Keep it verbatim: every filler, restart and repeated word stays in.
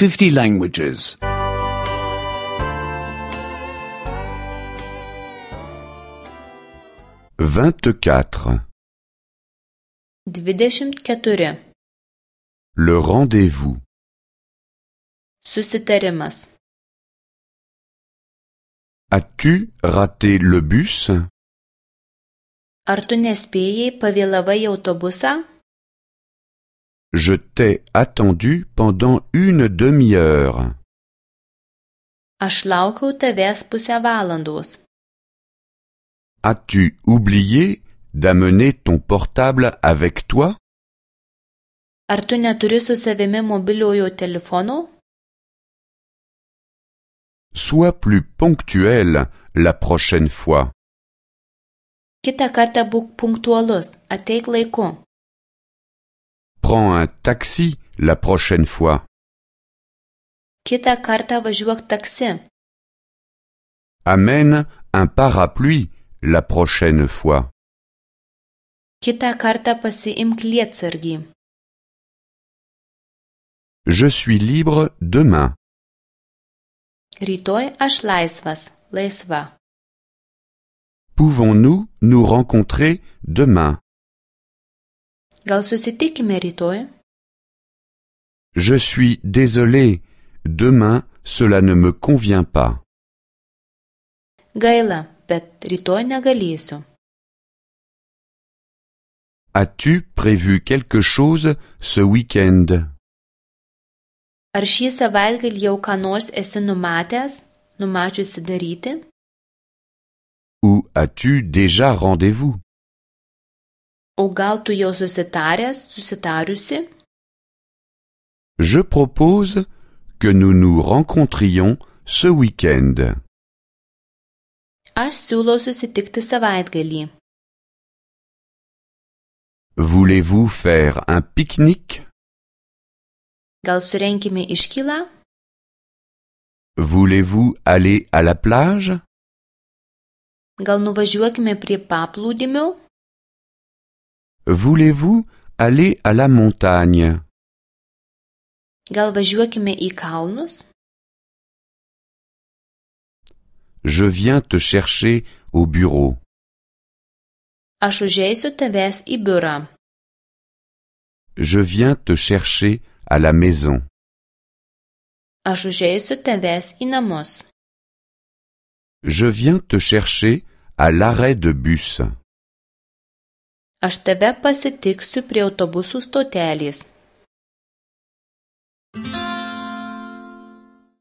fifty languages. vingt-quatre. Dvidešimt keturi. Le rendez-vous. Susitarimas. As-tu raté le bus? Ar tu nespėjai, pavėlavai į autobusą? Je t'ai attendu pendant une demi-heure. Aš laukiau tavęs pusę valandos. As-tu oublié d'amener ton portable avec toi? Ar tu neturi su savimi mobiliojo telefono? Sois plus ponctuel la prochaine fois. Kitą kartą būk punktualus, ateik laiku. Prends un taxi la prochaine fois. Kitą kartą važiuok taksi. Amène un parapluie la prochaine fois. Kitą kartą pasiimk lietsargį. Je suis libre demain. Rytoj aš laisvas, laisva. Pouvons-nous nous rencontrer demain? Gal susitikime rytoj? Je suis désolé, demain cela ne me convient pas. Gaila, bet rytoj negalėsiu. As-tu prévu quelque chose ce week-end? Ar šį savaitgalį jau ką nors esi numatęs, numačiusi daryti? Ou as-tu déjà rendez-vous? O gal tu jau susitaręs, susitariusi? Je propose que nous nous rencontrions ce week-end. Aš siūlau susitikti savaitgalį. Voulez-vous faire un pique-nique? Gal surenkime iškylą? Voulez-vous aller à la plage? Gal nuvažiuokime prie paplūdimio? Voulez-vous aller à la montagne? Gal važiuokime į kalnus? Je viens te chercher au bureau. Aš užeisiu tavęs į biurą. Je viens te chercher à la maison. Aš užeisiu tavęs į namus. Je viens te chercher à l'arrêt de bus. Aš tave pasitiksiu prie autobusų stotelės.